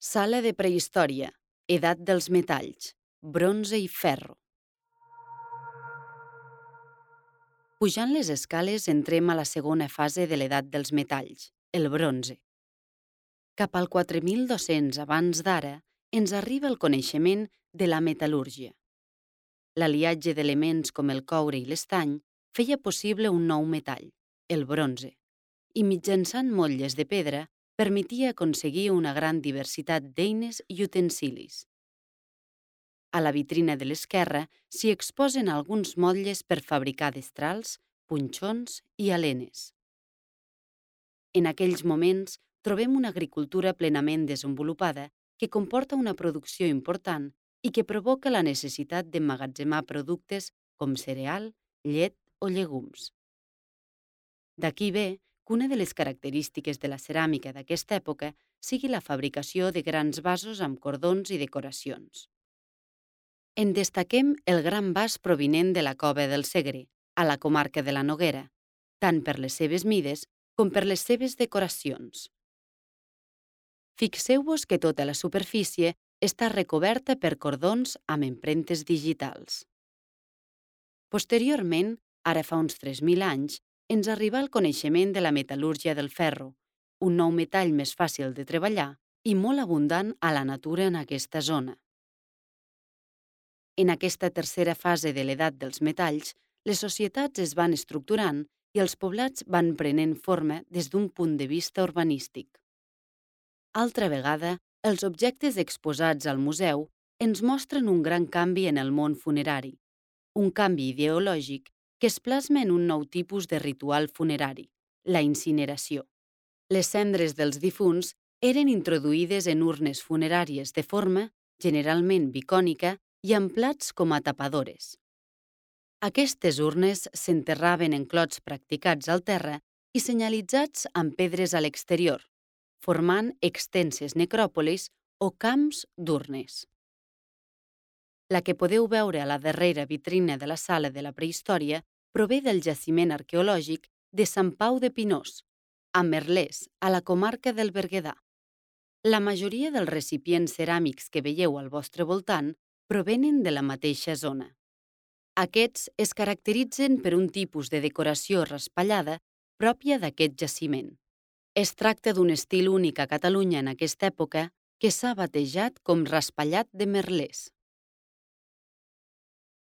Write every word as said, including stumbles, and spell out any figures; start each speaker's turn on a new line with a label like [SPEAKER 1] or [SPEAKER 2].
[SPEAKER 1] Sala de prehistòria, edat dels metalls, bronze i ferro. Pujant les escales entrem a la segona fase de l'edat dels metalls, el bronze. Cap al quatre mil dos-cents abans d'ara ens arriba el coneixement de la metal·lúrgia. L'aliatge d'elements com el coure i l'estany feia possible un nou metall, el bronze, i mitjançant motlles de pedra permetia aconseguir una gran diversitat d'eines i utensilis. A la vitrina de l'esquerra s'hi exposen alguns motlles per fabricar destrals, punxons i alenes. En aquells moments trobem una agricultura plenament desenvolupada que comporta una producció important i que provoca la necessitat d'emmagatzemar productes com cereal, llet o llegums. D'aquí ve que una de les característiques de la ceràmica d'aquesta època sigui la fabricació de grans vasos amb cordons i decoracions. En destaquem el gran vas provinent de la Cova del Segre, a la comarca de la Noguera, tant per les seves mides com per les seves decoracions. Fixeu-vos que tota la superfície està recoberta per cordons amb empremtes digitals. Posteriorment, ara fa uns tres mil anys, ens arriba el coneixement de la metal·lúrgia del ferro, un nou metall més fàcil de treballar i molt abundant a la natura en aquesta zona. En aquesta tercera fase de l'edat dels metalls, les societats es van estructurant i els poblats van prenent forma des d'un punt de vista urbanístic. Altra vegada, els objectes exposats al museu ens mostren un gran canvi en el món funerari, un canvi ideològic que es plasma en un nou tipus de ritual funerari, la incineració. Les cendres dels difunts eren introduïdes en urnes funeràries de forma, generalment bicònica, i amb plats com a tapadores. Aquestes urnes s'enterraven en clots practicats al terra i senyalitzats amb pedres a l'exterior, formant extenses necròpolis o camps d'urnes. La que podeu veure a la darrera vitrina de la sala de la prehistòria prové del jaciment arqueològic de Sant Pau de Pinós, a Merlès, a la comarca del Berguedà. La majoria dels recipients ceràmics que veieu al vostre voltant provenen de la mateixa zona. Aquests es caracteritzen per un tipus de decoració raspallada pròpia d'aquest jaciment. Es tracta d'un estil únic a Catalunya en aquesta època que s'ha batejat com raspallat de Merlès.